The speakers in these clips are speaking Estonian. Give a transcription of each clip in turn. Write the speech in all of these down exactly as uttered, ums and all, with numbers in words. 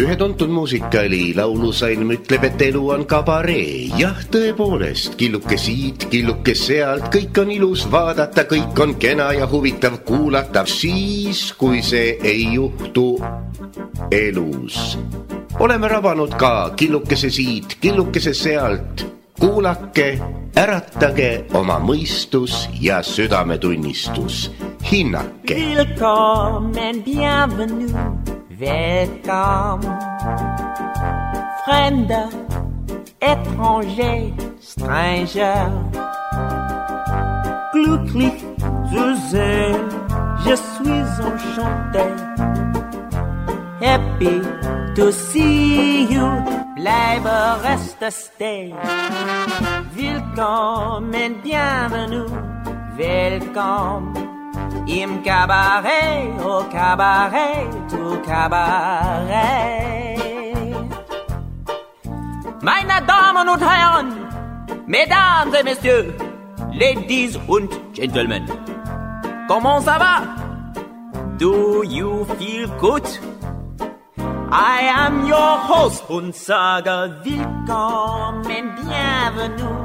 Ühe tuntud muusikali laulusalm ütleb, et elu on kabaree. Jah, tõepoolest, killuke siit, killuke sealt, kõik on ilus vaadata, kõik on kena ja huvitav kuulata, siis kui see ei juhtu elus. Oleme rabanud ka killukese siit, killukese sealt. Kuulake, äratage oma mõistus ja südametunnistus. Hinnake. Willkommen, bienvenue, welcome. Fremde, étranger, stranger. Glücklich zu sehen, je suis enchanté. Happy to see you, bleibe reste stay. Willkommen, bienvenue, welcome. Im Cabaret, au Cabaret, au Cabaret. Meine Damen und Herren, Mesdames et Messieurs, Ladies und Gentlemen, comment ça va? Do you feel good? I am your host und sage willkommen, bienvenue,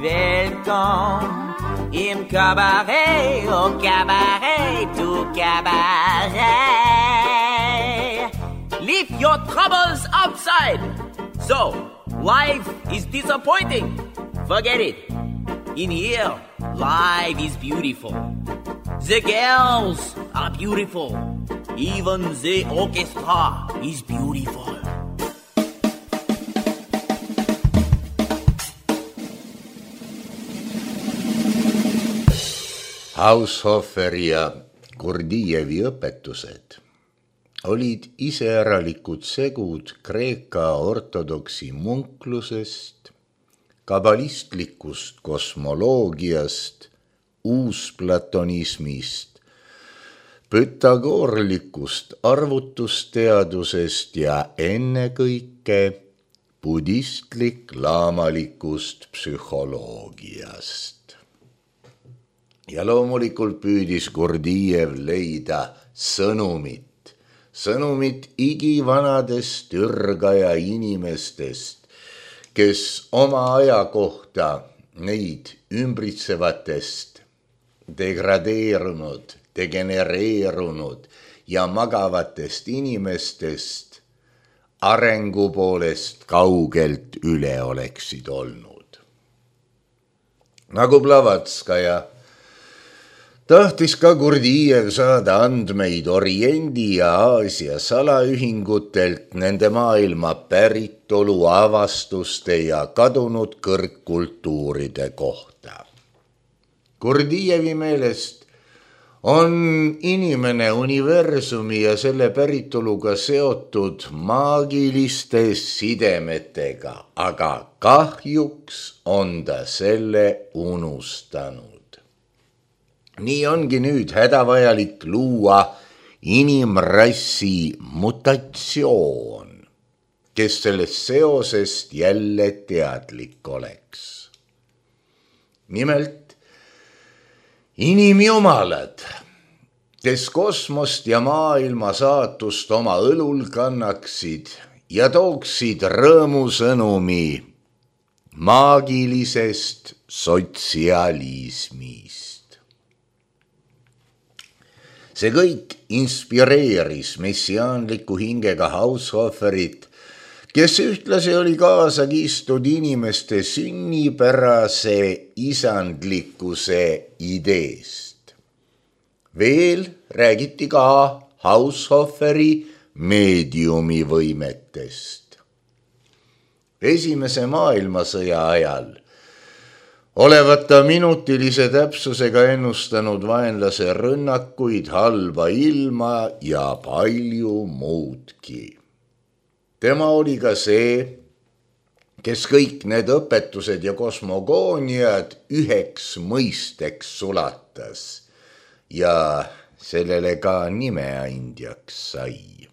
welcome. Im Cabaret, au Cabaret, au Cabaret. Leave your troubles outside. So, life is disappointing. Forget it. In here, life is beautiful. The girls are beautiful. Even the orchestra is beautiful. Haushoferi ja Gurdjijevi õpetused olid iseäralikud segud Kreeka ortodoksi munklusest, kabalistlikust kosmoloogiast, uusplatonismist, pütagorlikust arvutusteadusest ja ennekõike budistlik-laamalikust psühholoogiast. Ja loomulikult püüdis Gurdjijev leida sõnumit, sõnumit igivanadest ürgaja inimestest, kes oma aja kohta neid ümbritsevatest degradeerunud, degenereerunud ja magavatest inimestest arengu poolest kaugelt üle oleksid olnud. Nagu Blavatskaja tahtis ka Gurdjijev saada andmeid Oriendi ja Aasia salaühingutelt nende maailma päritolu avastuste ja kadunud kõrgkultuuride kohta. Gurdjijevi meelest on inimene universumi ja selle päritoluga seotud maagiliste sidemetega, aga kahjuks on ta selle unustanud. Nii ongi nüüd hädavajalik luua inimrassi mutatsioon, kes sellest seosest jälle teadlik oleks. Nimelt, inimjumalad, kes kosmost ja maailma saatust oma õlul kannaksid ja tooksid rõõmusõnumi maagilisest sotsialismist. See kõik inspireeris messiaanliku hingega Haushoferit, kes ühtlasi oli kaasa kistud inimeste sünnipärase isandlikkuse ideest. Veel räägiti ka Haushoferi meediumi võimetest. Esimese maailmasõja ajal olevat ta minutilise täpsusega ennustanud vaenlase rünnakuid, halba ilma ja palju muudki. Tema oli ka see, kes kõik need õpetused ja kosmogooniad üheks mõisteks sulatas ja sellele ka nimeandjaks sai.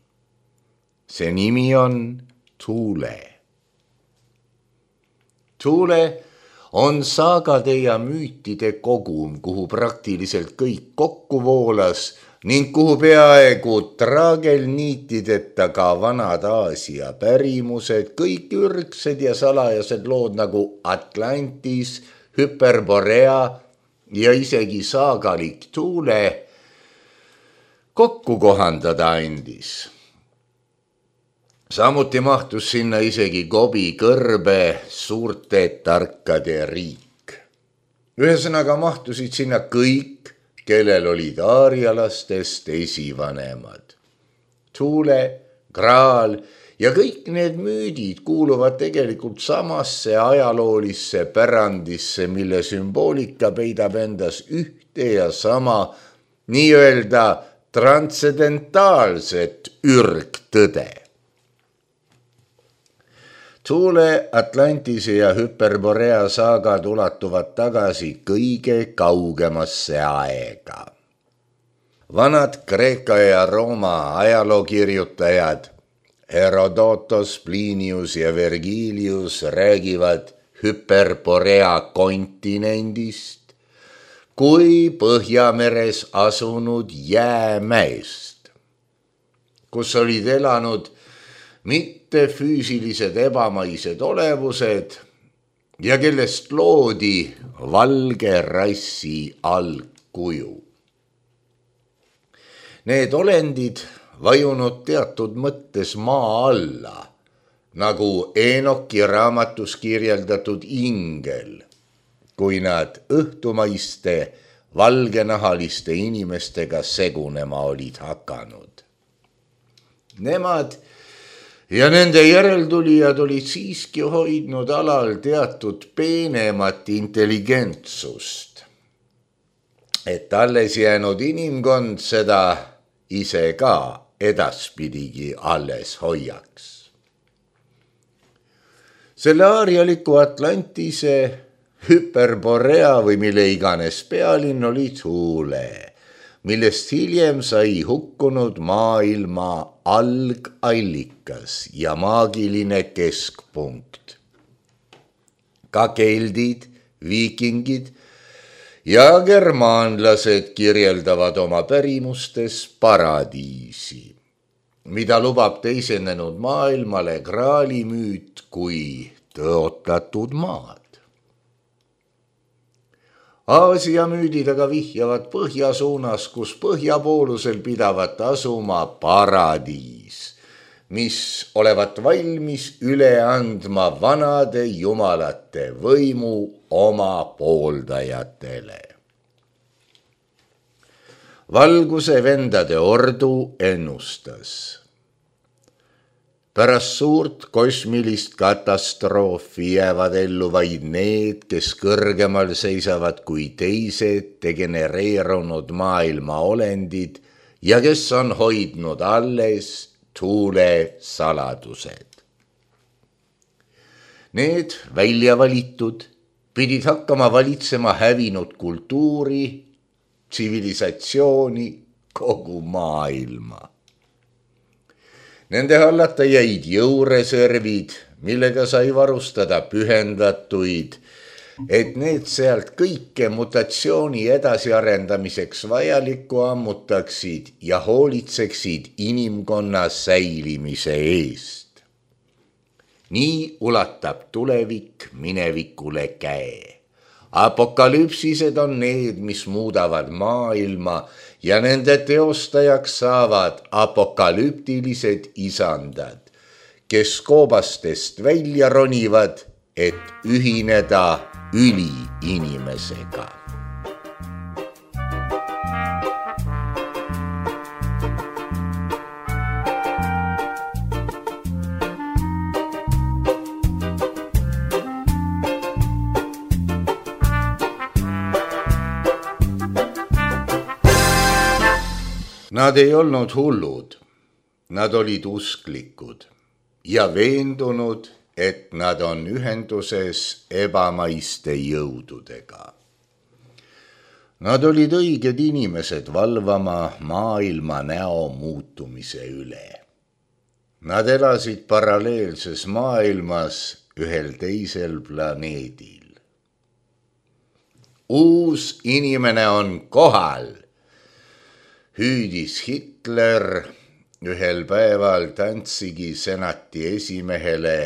See nimi on Thule. Thule on saagade ja müütide kogum, kuhu praktiliselt kõik kokku voolas, ning kuhu peaaegu traagelniitideta ka vanad Aasia pärimused, kõik ürgsed ja salajased lood nagu Atlantis, Hyperborea ja isegi saagalik Thule kokku kohandada andis. Samuti mahtus sinna isegi Gobi kõrbe suurte tarkade riik. Ühesõnaga mahtusid sinna kõik, kellel olid aarialastest esivanemad. Thule, Graal ja kõik need müüdid kuuluvad tegelikult samasse ajaloolisse pärandisse, mille sümboolika peidab endas ühte ja sama nii-öelda transcendentaalset ürgtõde. Thule, Atlantise ja Hyperborea saagad ulatuvad tagasi kõige kaugemasse aega. Vanad Kreeka ja Rooma ajalookirjutajad Herodotos, Plinius ja Vergilius räägivad Hyperborea kontinendist kui Põhjameres asunud jäämäest, kus olid elanud mitte füüsilised ebamaised olevused ja kellest loodi valge rassi algkuju. Need olendid vajunud teatud mõttes maa alla, nagu Enoki raamatus kirjeldatud ingel, kui nad õhtumaiste valgenahaliste inimestega segunema olid hakanud. Nemad ja nende järeltulijad olid siiski hoidnud alal teatud peenemat intelligentsust, et alles jäänud inimkond seda ise ka edaspidigi alles hoiaks. Selle aarialiku Atlantise, Hyperborea või mille iganes pealinn oli Thule, millest hiljem sai hukkunud maailma algallikas ja maagiline keskpunkt. Ka keldid, viikingid ja germaanlased kirjeldavad oma pärimustes paradiisi, mida lubab teisenenud maailmale Graali müüt kui tõotatud maad. Aasia müüdid aga vihjavad põhja suunas, kus põhjapoolusel pidavat asuma paradiis, mis olevat valmis üle andma vanade jumalate võimu oma pooldajatele. Valguse vendade ordu ennustas. Pärast suurt kosmilist katastroofi jäävad ellu vaid need, kes kõrgemal seisavad kui teised degenereerunud maailma olendid ja kes on hoidnud alles Thule saladused. Need välja valitud pidid hakkama valitsema hävinud kultuuri, tsivilisatsiooni, kogu maailma. Nende hallata jäid jõureservid, millega sai varustada pühendatuid, et need sealt kõike mutatsiooni edasiarendamiseks vajalikku ammutaksid ja hoolitseksid inimkonna säilimise eest. Nii ulatab tulevik minevikule käe. Apokalüpsised on need, mis muudavad maailma ja nende teostajaks saavad apokalüptilised isandad, kes koobastest välja ronivad, et ühineda üliinimesega. Nad ei olnud hullud, nad olid usklikud ja veendunud, et nad on ühenduses ebamaiste jõududega. Nad olid õiged inimesed valvama maailma näo muutumise üle. Nad elasid paralleelses maailmas ühel teisel planeedil. Uus inimene on kohal. hüüdis Hitler ühel päeval Danzigi senati esimehele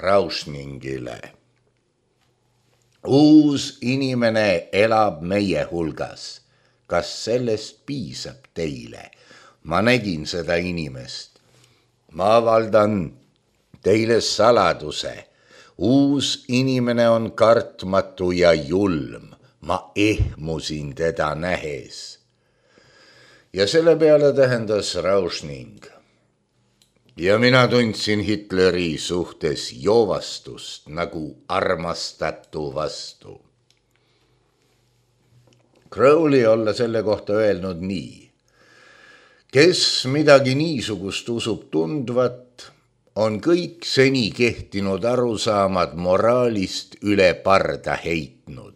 Rauschningile. Uus inimene elab meie hulgas. Kas sellest piisab teile? Ma nägin seda inimest. Ma avaldan teile saladuse. Uus inimene on kartmatu ja julm. Ma ehmusin teda nähes. Ja selle peale tähendas Rauschning. Ja mina tundsin Hitleri suhtes joovastust nagu armastatu vastu. Crowley olla selle kohta öelnud nii. Kes midagi niisugust usub tundvat, on kõik seni kehtinud arusaamad moraalist üle parda heitnud.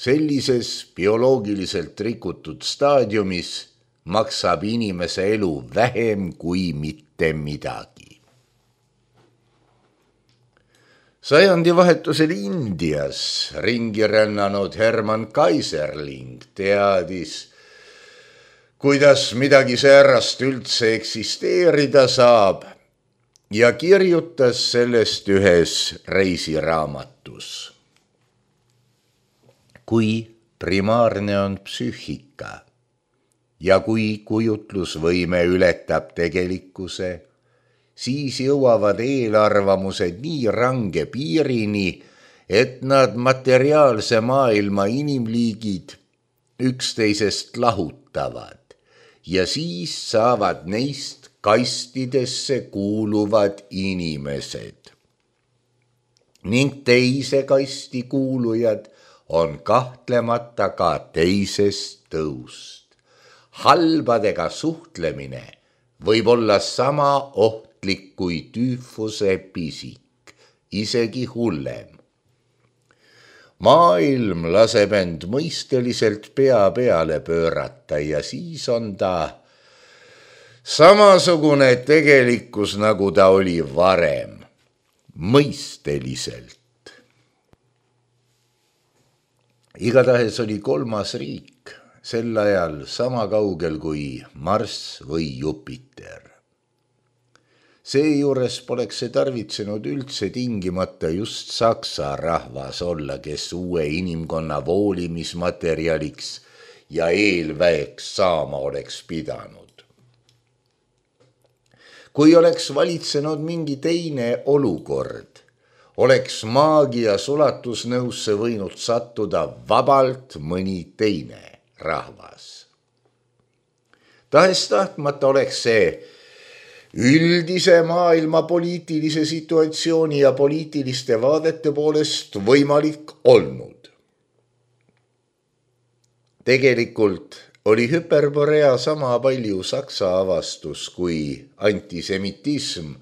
Sellises bioloogiliselt rikutud staadiumis maksab inimese elu vähem kui mitte midagi. Sajandivahetusel Indias ringi rännanud Hermann Kaiserling teadis, kuidas midagi säärast üldse eksisteerida saab ja kirjutas sellest ühes reisiraamatus. Kui primaarne on psüühika ja kui kujutlusvõime ületab tegelikkuse, siis jõuavad eelarvamused nii range piirini, et nad materiaalse maailma inimliigid üksteisest lahutavad ja siis saavad neist kastidesse kuuluvad inimesed. Ning teise kasti kuulujad on kahtlemata ka teisest tõust. Halbadega suhtlemine võib olla sama ohtlik kui tüüfuse pisik, isegi hullem. Maailm laseb end mõisteliselt pea peale pöörata ja siis on ta samasugune tegelikkus, nagu ta oli varem, mõisteliselt. Igatahes oli kolmas riik sel ajal sama kaugel kui Marss või Jupiter. Seejuures poleks see tarvitsenud üldse tingimata just saksa rahvas olla, kes uue inimkonna voolimismaterjaliks ja eelväeks saama oleks pidanud. Kui oleks valitsenud mingi teine olukord, oleks maagia sulatusnõusse võinud sattuda vabalt mõni teine rahvas. Tahes tahtmata oleks see üldise maailma poliitilise situatsiooni ja poliitiliste vaadete poolest võimalik olnud. Tegelikult oli Hyperborea sama palju saksa avastus kui antisemitism,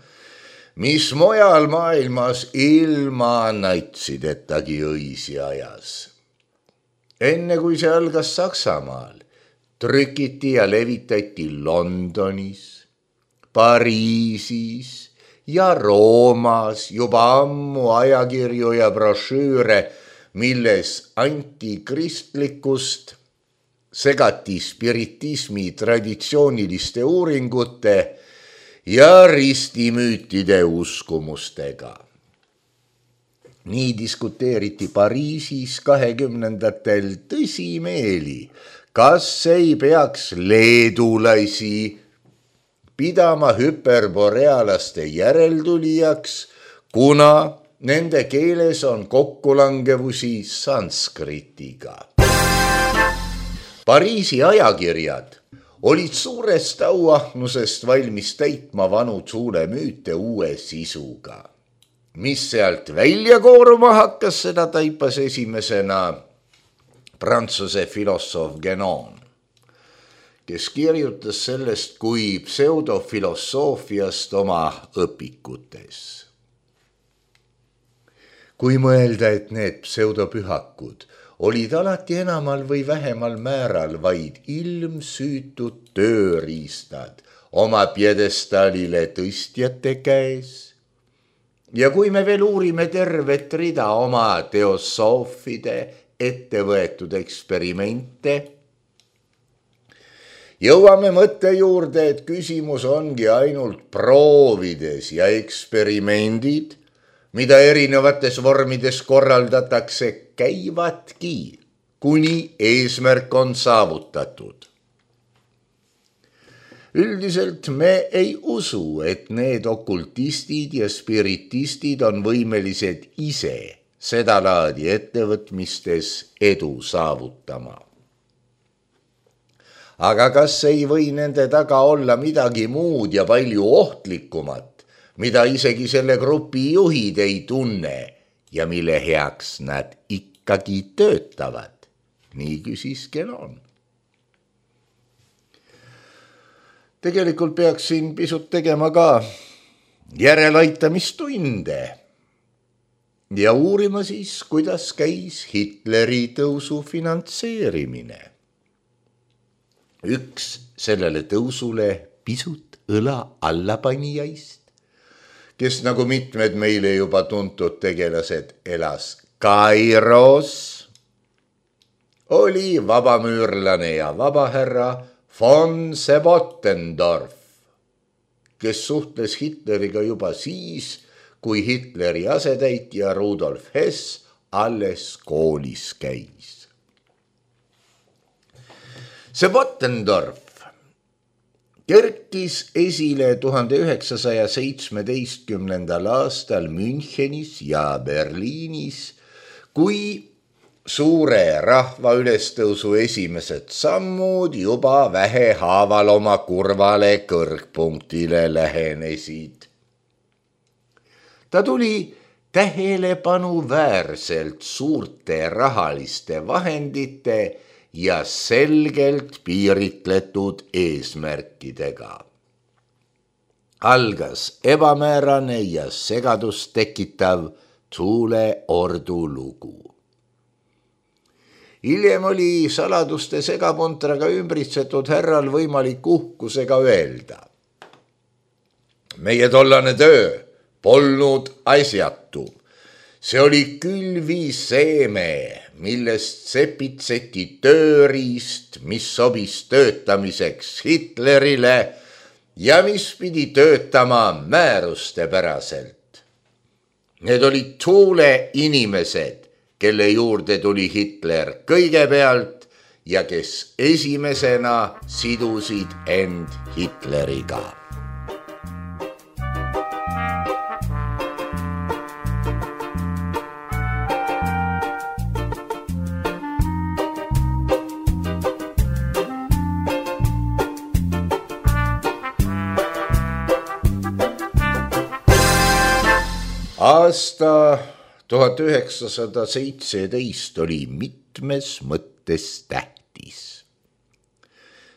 mis mujal maailmas ilma natsidetagi õisi ajas. Enne kui see algas Saksamaal, trükiti ja levitati Londonis, Pariisis ja Roomas juba ammu ajakirju ja brošüüre, milles antikristlikkust segati spiritismi traditsiooniliste uuringute ja ristimüütide uskumustega. Nii diskuteeriti Pariisis kahekümnendatel tõsimeeli, kas ei peaks leedulasi pidama hüperborealaste järeltulijaks, kuna nende keeles on kokkulangevusi sanskritiga. Pariisi ajakirjad olid suurest auahnusest valmis täitma vanu suulemüüte uue sisuga. Mis sealt välja kooruma hakkas, seda taipas esimesena prantsuse filosoof Guénon, kes kirjutas sellest kui pseudofilosoofiast oma õpikutes. Kui mõelda, et need pseudopühakud olid alati enamal või vähemal määral vaid ilmsüütud tööriistad oma pjedestaalile tõstjate käes, ja kui me veel uurime tervet rida oma teosoofide ettevõetud eksperimente, Jõuame mõtte juurde, et küsimus ongi ainult proovides ja eksperimendid, mida erinevates vormides korraldatakse, käivadki, kuni eesmärk on saavutatud. Üldiselt me ei usu, et need okultistid ja spiritistid on võimelised ise seda laadi ettevõtmistes edu saavutama. Aga kas ei või nende taga olla midagi muud ja palju ohtlikumat, mida isegi selle grupi juhid ei tunne ja mille heaks nad ikkagi töötavad? Nii küsis Genon. Tegelikult peaksin pisut tegema ka järelaitamistunde ja uurima siis, kuidas käis Hitleri tõusu finantseerimine. Üks sellele tõusule pisut õla allapanijaist, kes nagu mitmed meile juba tuntud tegelased elas Kairos, oli vabamüürlane ja vabahärra von Sebottendorf, kes suhtles Hitleriga juba siis, kui Hitleri asetäitja Rudolf Hess alles koolis käis. Sebottendorf kerkis esile tuhande üheksasaja seitsmeteistkümnendal aastal Münchenis ja Berliinis, kui suure rahva ülestõusu esimesed sammud juba vähehaaval oma kurvale kõrgpunktile lähenesid. Ta tuli tähelepanuväärselt suurte rahaliste vahendite ja selgelt piiritletud eesmärkidega. Algas ebamäärane ja segadust tekitav Thuleordu lugu. Hiljem oli saladuste segapuntraga ümbritsetud härral võimalik uhkusega öelda. Meie tollane töö polnud asjatu. See oli külviseeme, millest sepitseti tööriist, mis sobis töötamiseks Hitlerile ja mis pidi töötama määruste päraselt. Need olid Thule inimesed, kelle juurde tuli Hitler kõigepealt ja kes esimesena sidusid end Hitleriga. Aasta tuhat üheksasada seitseteist oli mitmes mõttes tähtis.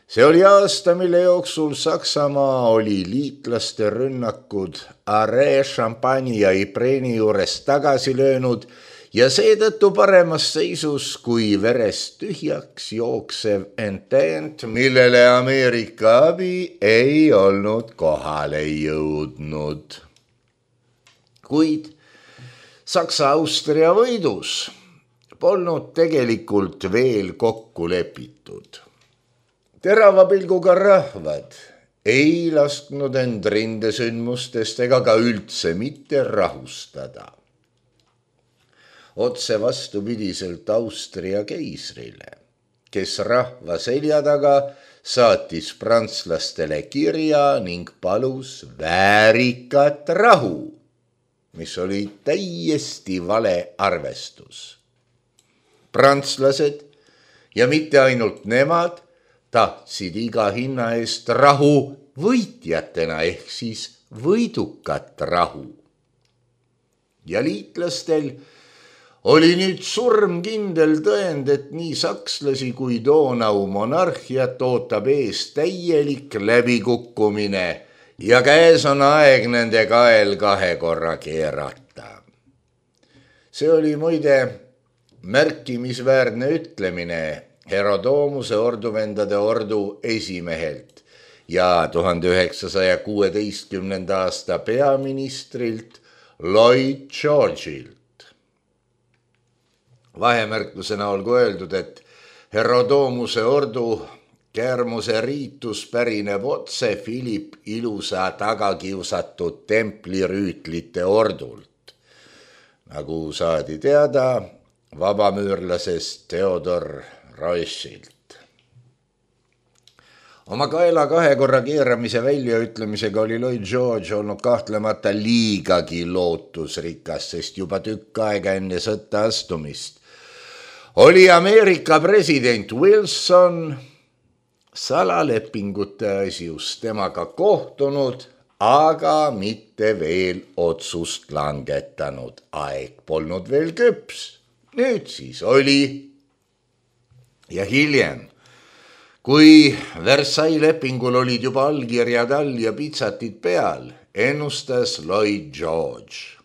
See oli aasta, mille jooksul Saksamaa oli liitlaste rünnakud Arree, Champagne ja Ypres'i juures tagasi löönud ja seetõttu paremas seisus kui verest tühjaks jooksev Entente, millele Ameerika abi ei olnud kohale jõudnud. Kuid Saksa-Austria võidus polnud tegelikult veel kokku lepitud. Terava pilguga rahvad ei lasknud end rindesündmustest ega ka üldse mitte rahustada. Otse vastupidiselt Austria keisrile, kes rahva selja taga saatis prantslastele kirja ning palus väärikat rahu, mis oli täiesti vale arvestus. Prantslased ja mitte ainult nemad tahtsid iga hinna eest rahu võitjatena ehk siis võidukat rahu. Ja liitlastel oli nüüd surmkindel tõend, et nii sakslasi kui Donau monarhiat ootab ees täielik läbikukkumine ja käes on aeg nende kael kahe korra keerata. See oli muide märkimisväärne ütlemine Herodoomuse orduvendade ordu esimehelt ja tuhande üheksasaja kuueteistkümnenda aasta peaministrilt Lloyd George'ilt. Vahemärklusena olgu öeldud, et Herodoomuse ordu Kermuse riitus pärineb otse Philip Ilusa tagakiusatud templirüütlite ordult. Nagu saadi teada vabamüürlasest Theodor Rothschild. Oma kaela kahe korra keeramise väljaütlemisega oli Lloyd George olnud kahtlemata liigagi lootusrikas, sest juba tükk aega enne sõtta astumist oli Ameerika president Wilson salalepingute asjus temaga kohtunud, aga mitte veel otsust langetanud. Aeg polnud veel küps. Nüüd siis oli. Ja hiljem, kui Versailles lepingul olid juba allkirjad all ja pitsatid peal, ennustas Lloyd George.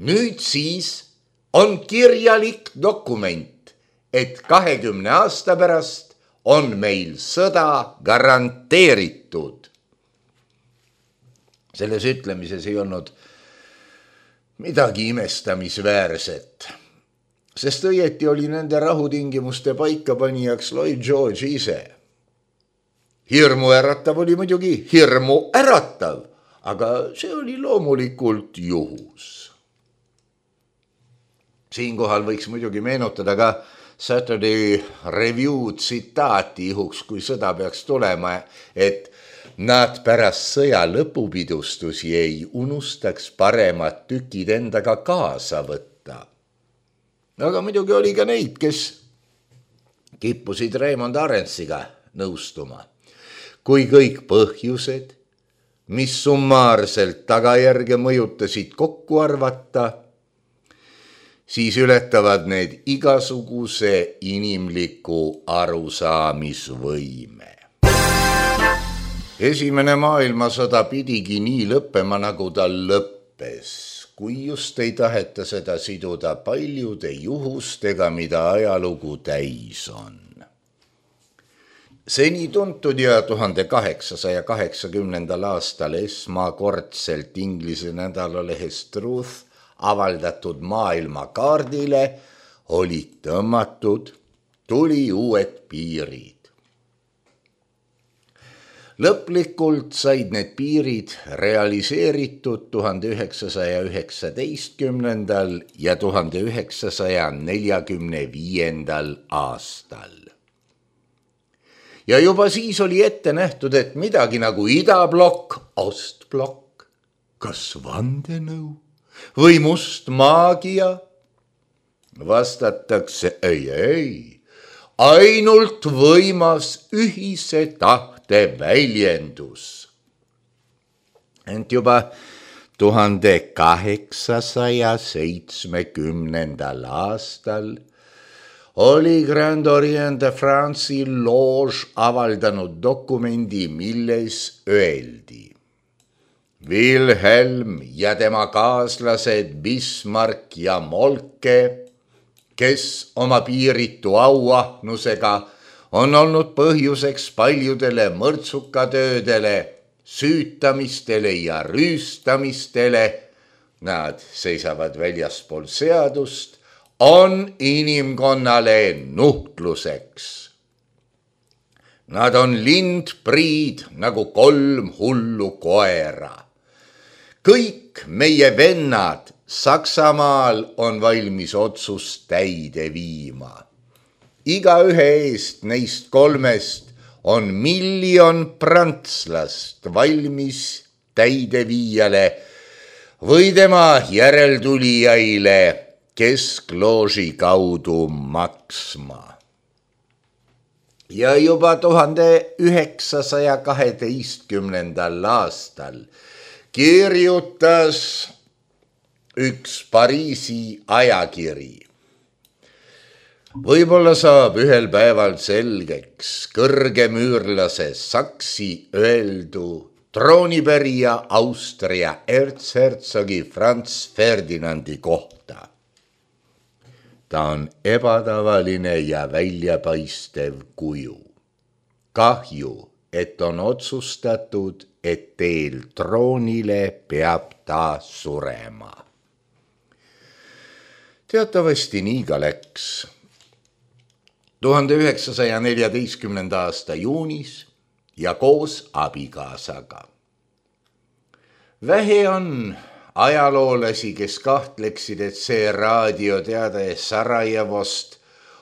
Nüüd siis on kirjalik dokument, et kahekümne aasta pärast on meil sõda garanteeritud. Selles ütlemises ei olnud midagi imestamisväärset, sest õieti oli nende rahutingimuste paikapanijaks Lloyd George ise. Hirmu äratav oli muidugi hirmu äratav, aga see oli loomulikult juhus. Siinkohal võiks muidugi meenutada ka Saturday Review tsitaati juhuks, kui sõda peaks tulema, et nad pärast sõja lõpupidustusi ei unustaks paremat tükid endaga kaasa võtta. Aga muidugi oli ka neid, kes kippusid Raymond Arensiga nõustuma. Kui kõik põhjused, mis summaarselt tagajärge mõjutasid kokku arvata, siis ületavad need igasuguse inimliku arusaamisvõime. Esimene maailmasõda pidigi nii lõppema, nagu ta lõppes, kui just ei taheta seda siduda paljude juhustega, mida ajalugu täis on. Seni tuntud ja tuhande kaheksasaja kaheksakümnendal aastal esmakordselt Inglise nädalalehes Truth avaldatud maailmakaardile olid tõmmatud tuli uued piirid. Lõplikult said need piirid realiseeritud tuhande üheksasaja üheksateistkümnendal ja tuhande üheksasaja neljakümne viiendal aastal. Ja juba siis oli ette nähtud, et midagi nagu idablokk, ostblokk, kas vandenõu või must maagia? Vastatakse ei, ei, ainult võimas ühise tahte väljendus. Ent juba tuhande kaheksasaja seitsmekümnendal aastal oli Grand Orient de France'i Loge avaldanud dokumendi, milles öeldi: Wilhelm ja tema kaaslased Bismarck ja Moltke, kes oma piiritu auahnusega on olnud põhjuseks paljudele mõrtsukatöödele, süütamistele ja rüüstamistele, nad seisavad väljaspool seadust, on inimkonnale nuhtluseks. Nad on lindpriid nagu kolm hullu koera. Kõik meie vennad Saksamaal on valmis otsust täide viima. Iga ühe eest neist kolmest on miljon prantslast valmis täideviijale või tema järeltulijaile kesklooži kaudu maksma. Ja juba tuhande üheksasaja kaheteistkümnendal aastal kirjutas üks Pariisi ajakiri. Võib-olla saab ühel päeval selgeks kõrgemüürlase Saksi öeldu troonipärija Austria erzhertsogi Franz Ferdinandi kohta. Ta on ebatavaline ja väljapaistev kuju. Kahju, et on otsustatud, et teel troonile peab ta surema. Teatavasti nii ka läks. tuhande üheksasaja neljateistkümnenda aasta juunis ja koos abikaasaga. Vähe on ajaloolasi, kes kahtleksid, et see raadioteade Sarajevost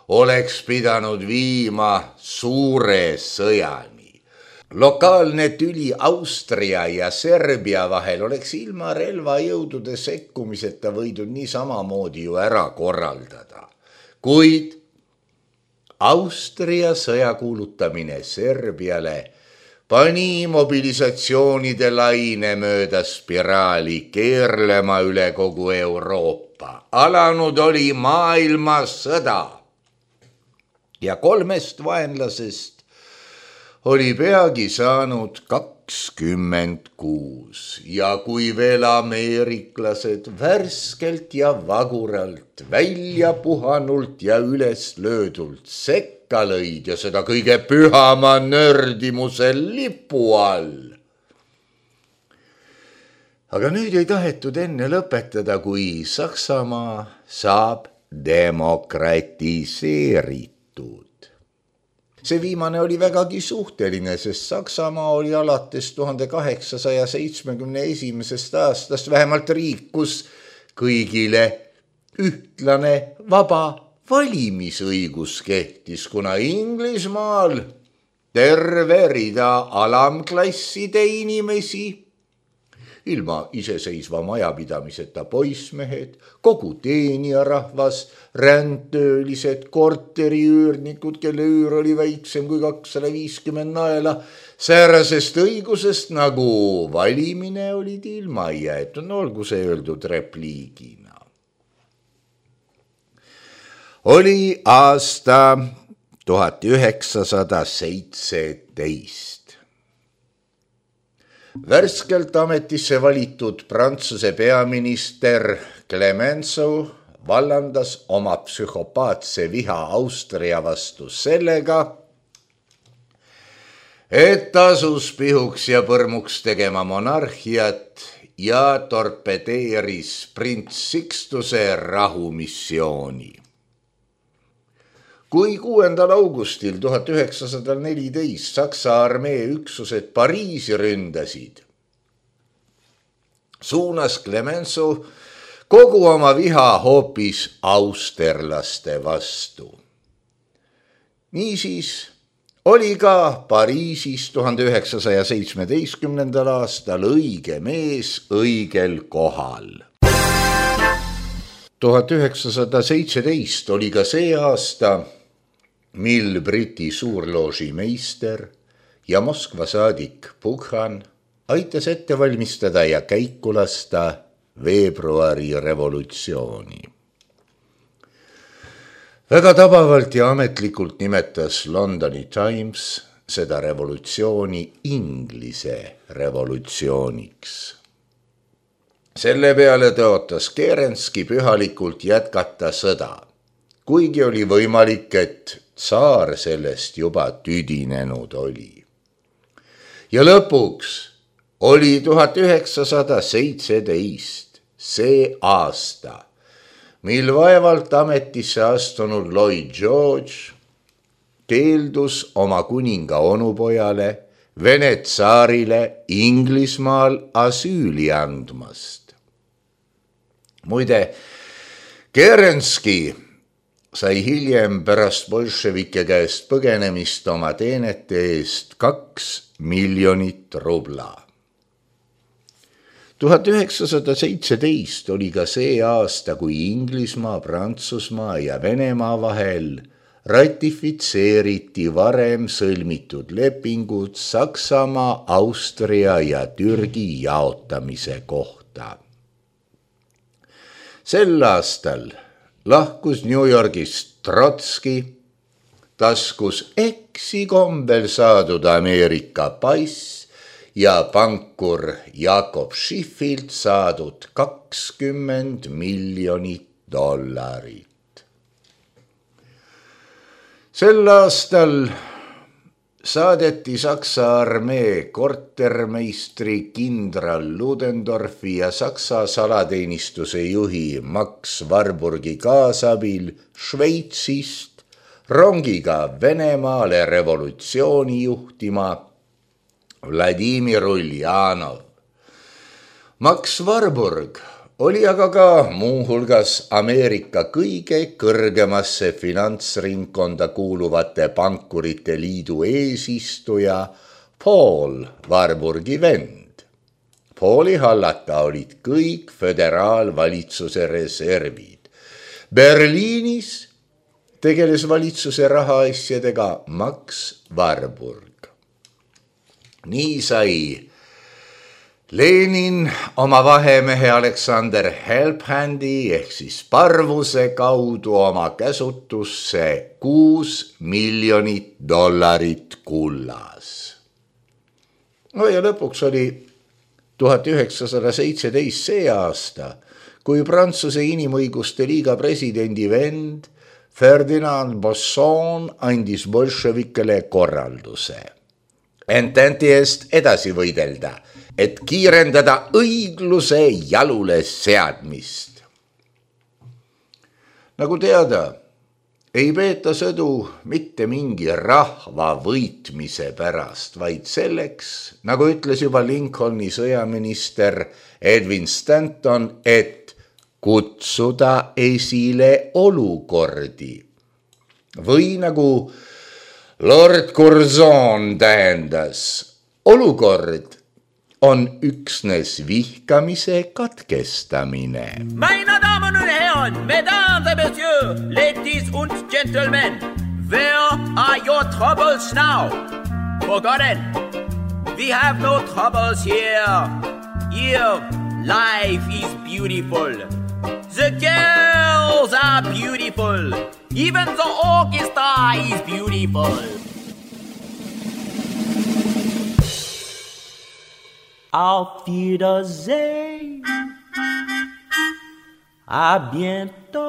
oleks pidanud viima suure sõjani. Lokaalne tüli Austria ja Serbia vahel oleks ilma relvajõudude sekkumiseta võidud nii samamoodi ju ära korraldada. Kuid Austria sõja kuulutamine Serbiale pani mobilisatsioonide laine mööda spiraali keerlema üle kogu Euroopa. Alanud oli maailmasõda ja kolmest vaenlasest oli peagi saanud kakskümmend kuus ja kui veel ameeriklased värskelt ja vaguralt, välja puhanult ja üles löödult sekka lõid ja seda kõige pühama nördimuse lipu all. Aga nüüd ei tahetud enne lõpetada, kui Saksamaa saab demokratiseeritud. See viimane oli vägagi suhteline, sest Saksamaa oli alates tuhande kaheksasaja seitsmekümne esimesest aastast vähemalt riik, kus kõigile ühtlane vaba valimisõigus kehtis, kuna Inglismaal terve rida alamklasside inimesi, ilma iseseisva majapidamiseta poissmehed, kogu teenijarahvas, rändtöölised, korteriüürnikud, kelle üür oli väiksem kui kakssada viiskümmend naela, säärasest õigusest nagu valimine olid ilma jäetud, no olgu see öeldud repliigina. Oli aasta tuhat üheksasada seitseteist. Värskelt ametisse valitud Prantsuse peaminister Clemenceau vallandas oma psühhopaatse viha Austria vastu sellega, et asus pihuks ja põrmuks tegema monarhiat ja torpedeeris prints Sixtuse rahumissiooni. Kui kuuendal augustil tuhat üheksasada neliteist Saksa armee üksused Pariisi ründasid, suunas Clemenceau kogu oma viha hoopis austerlaste vastu. Niisiis oli ka Pariisis tuhande üheksasaja seitsmeteistkümnendal aastal õige mees õigel kohal. tuhat üheksasada seitseteist oli ka see aasta, mil Briti suurlooži meister ja Moskva saadik Pukhan aitas ette valmistada ja käiku lasta veebruari revolutsiooni. Väga tabavalt ja ametlikult nimetas Londoni Times seda revolutsiooni Inglise revolutsiooniks. Selle peale tõotas Kerenski pühalikult jätkata sõda, kuigi oli võimalik, et tsaar sellest juba tüdinenud oli. Ja lõpuks oli tuhat üheksasada seitseteist see aasta, mil vaevalt ametisse astunud Lloyd George keeldus oma kuninga onupojale, Vene tsaarile Inglismaal asüüli andmast. Muide, Kerenski sai hiljem pärast bolševike käest põgenemist oma teenete eest kaks miljonit rubla. tuhat üheksasada seitseteist oli ka see aasta, kui Inglismaa, Prantsusmaa ja Venemaa vahel ratifitseeriti varem sõlmitud lepingud Saksamaa, Austria ja Türgi jaotamise kohta. Sel aastal lahkus New Yorgist Trotski, taskus eksikombel saadud Ameerika pass ja pankur Jakob Schiffilt saadud kakskümmend miljonit dollarit. Sel aastal saadeti Saksa armee kortermeistri kindral Ludendorfi ja Saksa salateenistuse juhi Max Warburgi kaasabil Šveitsist rongiga Venemaale revolutsiooni juhtima Vladimir Uljanov. Max Warburg oli aga ka muuhulgas Ameerika kõige kõrgemasse finantsringkonda kuuluvate pankurite liidu eesistuja Paul Warburgi vend. Pauli hallata olid kõik föderaalvalitsuse reservid. Berliinis tegeles valitsuse rahaasjadega Max Warburg. Nii sai Lenin oma vahemehe Alexander Helphandi ehk siis Parvuse kaudu oma käsutusse kuus miljonit dollarit kullas. No ja lõpuks oli tuhat üheksasada seitseteist see aasta, kui Prantsuse Inimõiguste Liiga presidendi vend Ferdinand Bosson andis bolševikele korralduse Ententi eest edasi võidelda, et kiirendada õigluse jalule seadmist. Nagu teada, ei peeta sõdu mitte mingi rahva võitmise pärast, vaid selleks, nagu ütles juba Lincolni sõjaminister Edwin Stanton, et kutsuda esile olukordi. Või nagu Lord Curzon tähendas, olukord on üksnes vihkamise katkestamine. Meine Damen und Herren, Mesdames et Messieurs, ladies und gentlemen, where are your troubles now? Forgotten, we have no troubles here. Here, life is beautiful. The girls are beautiful. Even the orchestra is beautiful. Auf Wiedersehen. À bientôt.